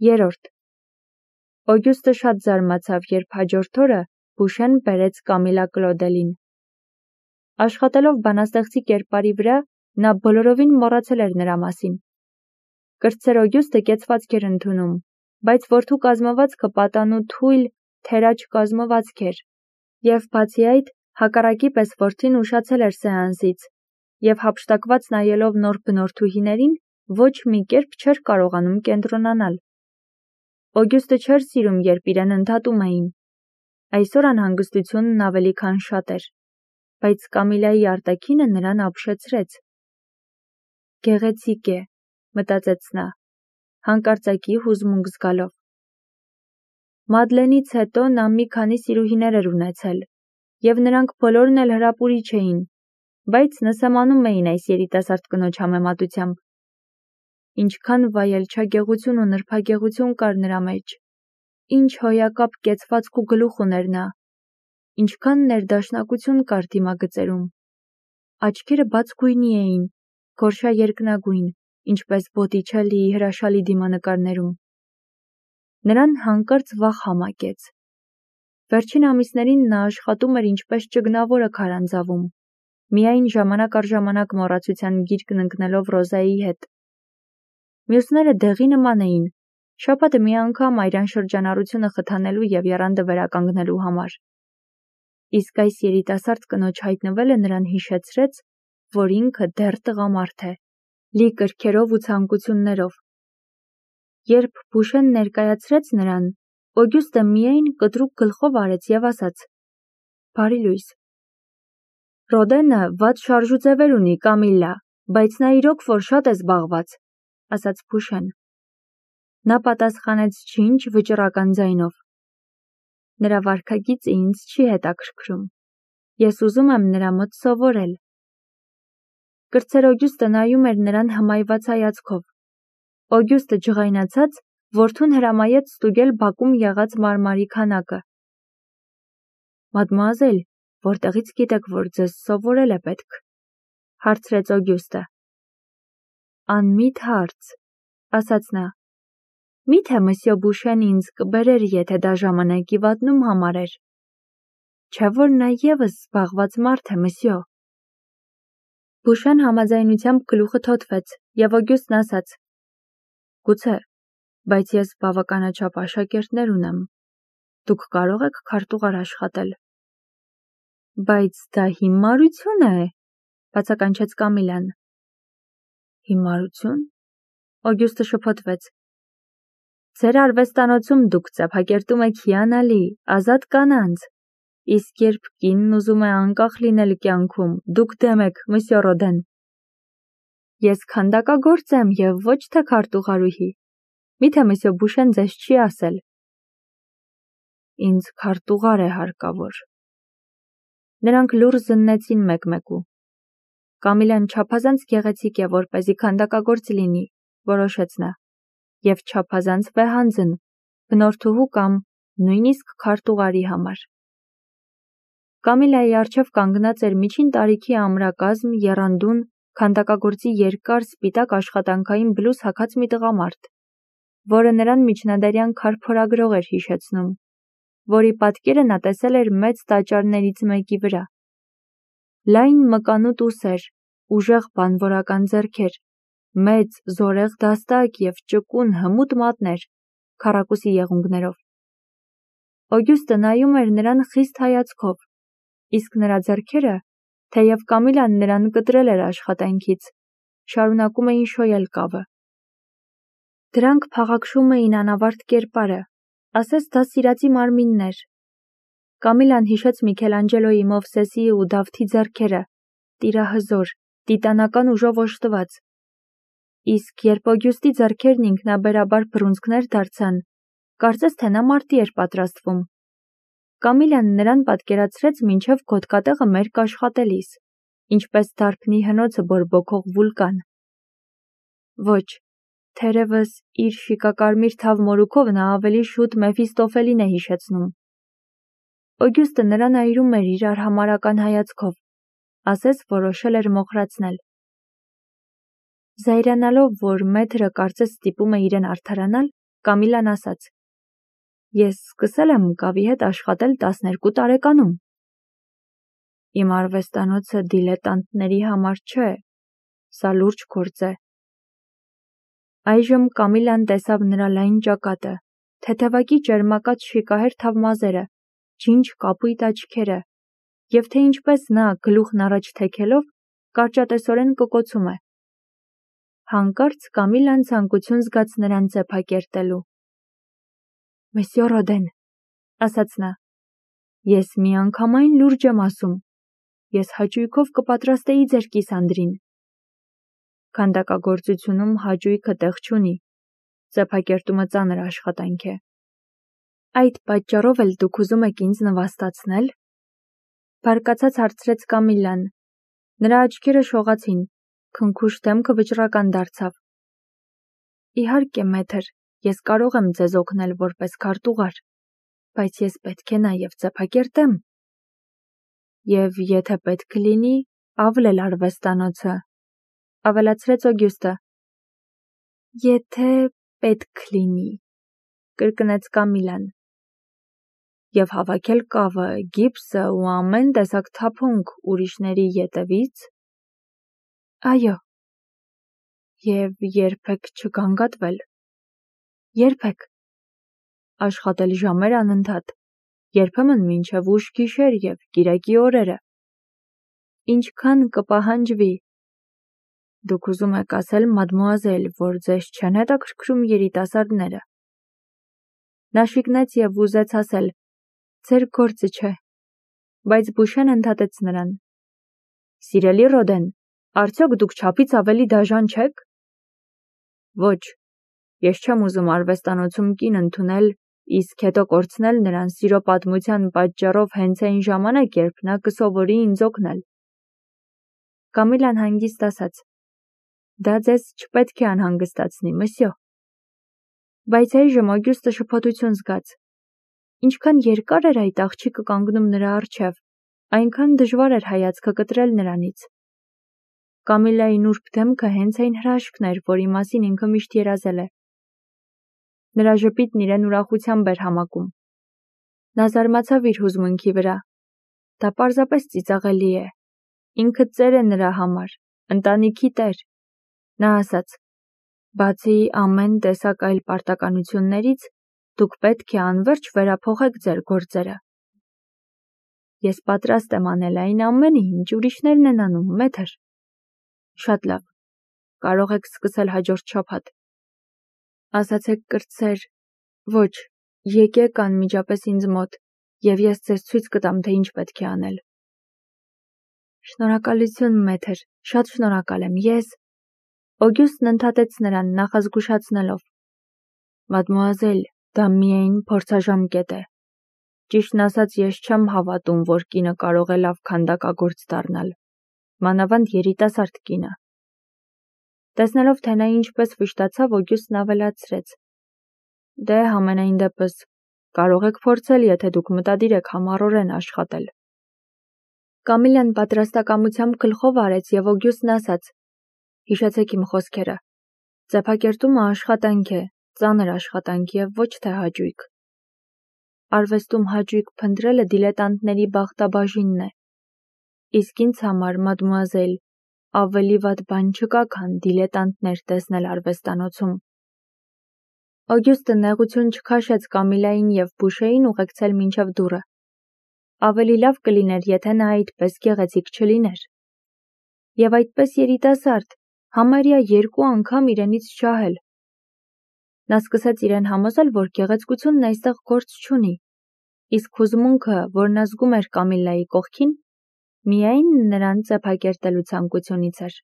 3. Օգյուստը շատ զարմացավ, երբ հաջորդ օրը Բուշեն բերեց Կամիլա Կլոդելին։ Աշխատելով բանաստեղծի կերպարի վրա, նա բոլորովին մոռացել էր նրա մասին։ Կրտսեր Օգյուստը կեցվածք էր ընդունում, բայց որդու կազմվածքը պատանու թույլ, թերաջ կազմվածք էր, և բացի այդ, հակառակի պես որդին ուշացել էր սեանսից, և հափշտակված նայելով նոր բնորդուհիներին, ոչ մի կերպ չէր կարողանում կենտրոնանալ։ Օգյուստը չէր սիրում, երբ իրեն ընդհատում էին։ Այսօր անհանգստությունն ավելի քան շատ էր, բայց Կամիլայի արտաքինը նրան ապշեցրեց։ Գեղեցիկ է, մտածեց նա, հանկարծակի հուզմունք զգալով։ Մադլենից հետո նա մի քանի սիրուհիներ էր ունեցել, և նրանք բոլորն էլ հրապուրիչ էին, բայց նսեմանում էին այս երիտասարդ կնոջ համեմատությամբ։ Ինչքան վայելչագեղություն ու նրբագեղություն կար նրա մեջ, ինչ հոյակապ կեցվածք ու գլուխ ուներ նա, ինչքան ներդաշնակություն կար դիմագծերում։ Աչքերը բաց գույնի էին, գորշա երկնագույն, ինչպես Բոտիչելլիի հրաշալի դիմանկարներում։ Նրան հանկարծ վախ համակեց։ Վերջին ամիսներին նա աշխատում էր ինչպես ճգնավորը քարանձավում, միայն ժամանակ առ ժամանակ մոռացության գիրկն ընկնելով Ռոզայի հետ։ Մյուսները դեղի նման էին, շաբաթը մի անգամ այրան շրջանառությունը խթանելու և եռանդը վերականգնելու համար։ Իսկ այս երիտասարդ կնոջ հայտնվելը նրան հիշեցրեց, որ ինքը դեռ տղամարդ է, լի կրքերով ու ցանկություններով։ Երբ Բուշեն ներկայացրեց նրան, Օգյուստը միայն կտրուկ գլխով արեց և ասաց. «Բարի լույս»։ Ռոդենը վատ շարժուձևեր ունի, Կամիլլա, բայց նա իրոք որ շատ է զբաղված, ասաց Բուշեն։ Նա պատասխանեց ջինջ վճռական ձայնով. Նրա վարքագիծը ինձ չի հետաքրքրում։ Ես ուզում եմ նրա մոտ սովորել։ Կրտսեր Օգյուստը նայում էր նրան հմայված հայացքով։ Օգյուստը ջղայնացած, որդուն հրամայեց ստուգել բակում եղած մարմարի քանակը։ Մադմուազել, որտեղից գիտեք, որ ձեզ սովորել է պետք, հարցրեց Օգյուստը։ Անմիտ հարց, ասաց նա։ Միթե մսյո Բուշեն ինձ կբերեր, եթե դա ժամանակի վատնում համարեր։ Չէ որ նա ևս զբաղված մարդ է, մսյո։ Բուշեն համաձայնությամբ գլուխը թոթվեց, և Օգյուստն ասաց. Գուցե, բայց ես բավականաչափ աշակերտներ ունեմ։ Դուք կարող եք քարտուղար աշխատել։ Բայց դա հիմարություն է, բացականչեց Կամիլան։ Հիմարություն։ Օգյուստը շփոթվեց։ Ձեր արվեստանոցում դուք ծափակերտում եք հիանալի, ազատ կանանց, իսկ երբ կինն ուզում է անկախ լինել կյանքում, դուք դեմ եք, մսյո Ռոդեն։ Ես քանդակագործ եմ և ոչ թե քարտուղարուհի։ Միթե մսյո Բուշեն ձեզ չի ասել։ Ինձ քարտուղար է հարկավոր։ Նրանք լուռ զննեցին մեկ-մեկու։ Կամիլան չափազանց գեղեցիկ է, որպեսզի քանդակագործ լինի, որոշեց նա, և չափազանց վեհանձն, բնորդուհու կամ նույնիսկ քարտուղարի համար։ Կամիլայի առջև կանգնած էր միջին տարիքի ամրակազմ, եռանդուն, քանդակագործի երկար սպիտակ աշխատանքային բլուզ հագած մի տղամարդ, որը նրան միջնադարյան քարփորագրող էր հիշեցնում, որի պատկերը նա տեսել էր մեծ տաճարներից մեկի վրա։ Լայն մկանուտ ուսեր, ուժեղ բանվորական ձեռքեր, մեծ զորեղ դաստակ և ճկուն հմուտ մատներ, քառակուսի եղունգներով։ Օգյուստը նայում էր նրան խիստ հայացքով, իսկ նրա ձեռքերը, թեև Կամիլան նրան կտրել էր աշխատանքից, շարունակում էին շոյել կավը։ Դրանք փաղաքշում էին անավարտ կերպարը, ասես դա սիրածի մարմիններ։ Կամիլան հիշեց Միքելանջելոյի Մովսեսի ու Դավթի ձեռքերը, տիրահզոր, տիտանական ուժով օժտված։ Իսկ երբ Օգյուստի ձեռքերն ինքնաբերաբար բռունցքներ դարձան, կարծես թե նա մարտի էր պատրաստվում։ Կամիլան նրան պատկերացրեց մինչև գոտկատեղը մերկ աշխատելիս, ինչպես դարբնի հնոցը բորբոքող վուլկան։ Ոչ, թերևս իր շիկակարմիր թավ մորուքով նա ավելի շուտ Մեֆիստոֆելին է հիշեցնում։ Օգյուստը նրան այրում էր իր արհամարհական հայացքով, ասես որոշել էր մոխրացնել։ Զայրանալով, որ մեթրը կարծես ստիպում է իրեն արդարանալ, Կամիլան ասաց. Ես սկսել եմ կավի հետ աշխատել 12 տարեկանում։ Իմ արվեստանոցը դիլետանտների համար չէ, սա լուրջ գործ է։ Այժմ Կամիլան տեսավ նրա լայն ճակատը, թեթևակի ճերմակած շիկահեր թավմազերը, ջինջ կապույտ աչքերը, և թե ինչպես նա գլուխն առաջ թեքելով կարճատեսորեն կկոցում է։ Հանկարծ Կամիլան ցանկություն զգաց նրան ձեփակերտելու։ Մեսյո Ռոդեն, ասաց նա, ես միանգամայն լուրջ եմ ասում, ես հաճույքով կպատրաստեի ձեր կիսանդրին։ Քանդակագործությունում հաճույքը տեղ չունի, ձեփակերտումը ծանր աշխատանք է։ Այդ պատճառով էլ դուք ուզում եք ինձ նվաստացնել։ Բարկացած հարցրեց Կամիլան։ Նրա աչքերը շողացին, քնքուշ դեմքը վճռական դարձավ։ Իհարկե, մեթր, ես կարող եմ ձեզ օգնել որպես քարտուղար, բայց ես պետք է նաև ձեփակերտեմ։ Եվ եթե պետք լինի, ավլել արվեստանոցը, ավելացրեց Օգյուստը։ Եթե պետք լինի, կրկնեց Կամիլան։ Եվ հավաքել կավը, գիպսը ու ամեն տեսակ թափոնք ուրիշների ետևից։ Այո։ Եվ երբեք չգանգատվել։ Երբեք։ Աշխատել ժամեր անընդհատ, երբեմն մինչև ուշ գիշեր և կիրակի օրերը։ Ինչքան կպահանջվի։ Դուք ուզում եք ասել, մադմուազել, որ ձեզ չեն հետաքրքրում երիտասարդները։ Նա շիկնեց և ուզեց ասել. Ձեր գործը չէ, բայց Բուշեն ընդհատեց նրան. Սիրելի Ռոդեն, արդյոք դուք չափից ավելի դաժան չեք։ Ոչ, ես չեմ ուզում արվեստանոցում կին ընդունել, իսկ հետո կորցնել նրան սիրո պատմության պատճառով հենց այն ժամանակ, երբ նա կսովորի ինձ օգնել։ Կամիլան հանգիստ ասաց. Դա ձեզ չպետք է անհանգստացնի, մսյո։ Բայց այժմ Օգյուստը շփոթություն զգաց։ Ինչքան երկար էր այդ աղջիկը կանգնում նրա առջև, այնքան դժվար էր հայացքը կտրել նրանից։ Կամիլայի նուրբ դեմքը հենց այն հրաշքն էր, որի մասին ինքը միշտ երազել է։ Նրա ժպիտն իրեն ուրախությամբ էր համակում։ Նա զարմացավ իր հուզմունքի վրա։ Դա պարզապես ծիծաղելի է։ Ինքը ծեր է նրա համար, ընտանիքի տեր։ Նա ասաց. Բացի ամեն տեսակ այլ պարտականություններից, դուք պետք է անվերջ վերափոխեք ձեր գործերը։ Ես պատրաստ եմ անել այն ամենը, ինչ ուրիշներն են անում, մեթր։ Շատ լավ։ Կարող եք սկսել հաջորդ շաբաթ։ Ասացեք կրտսեր, ոչ, եկեք անմիջապես ինձ մոտ, և ես ձեզ ցույց կտամ, թե ինչ պետք է անել։ Շնորհակալություն, մեթր, շատ շնորհակալ եմ, ես։ Օգյուստն ընդհատեց նրան, նախազգուշացնելով. Մադմուազել, դա միայն փորձաժամկետ է։ Ճիշտն ասած, ես չեմ հավատում, որ կինը կարող է լավ քանդակագործ դառնալ, մանավանդ երիտասարդ կինը։ Տեսնելով, թե նա ինչպես վշտացավ, Օգյուստն ավելացրեց. Դե համենայն դեպս, կարող եք փորձել, եթե դուք մտադիր եք համառորեն աշխատել։ Կամիլան պատրաստակամությամբ գլխով արեց և Օգյուստն ասաց. Հիշեցեք իմ խոսքերը։ Ձեփակերտումը աշխատանք է, ծանր աշխատանք և ոչ թե հաճույք։ Արվեստում հաճույք փնտրելը դիլետանտների բախտաբաժինն է։ Իսկ ինձ համար, մադմուազել, ավելի վատ բան չկա, քան դիլետանտներ տեսնել արվեստանոցում։ Օգյուստը նեղություն չքաշեց Կամիլային և Բուշեին ուղեկցել մինչև դուռը։ Ավելի լավ կլիներ, եթե նա այդպես գեղեցիկ չլիներ։ Եվ այդպես երիտասարդ, համարյա 2 անգամ իրենից ջահել։ Նա սկսեց իրեն համոզել, որ գեղեցկությունն այստեղ գործ չունի, իսկ հուզմունքը, որն ազգում էր Կամիլայի կողքին, միայն նրան ձեփակերտելու ցանկությունից էր։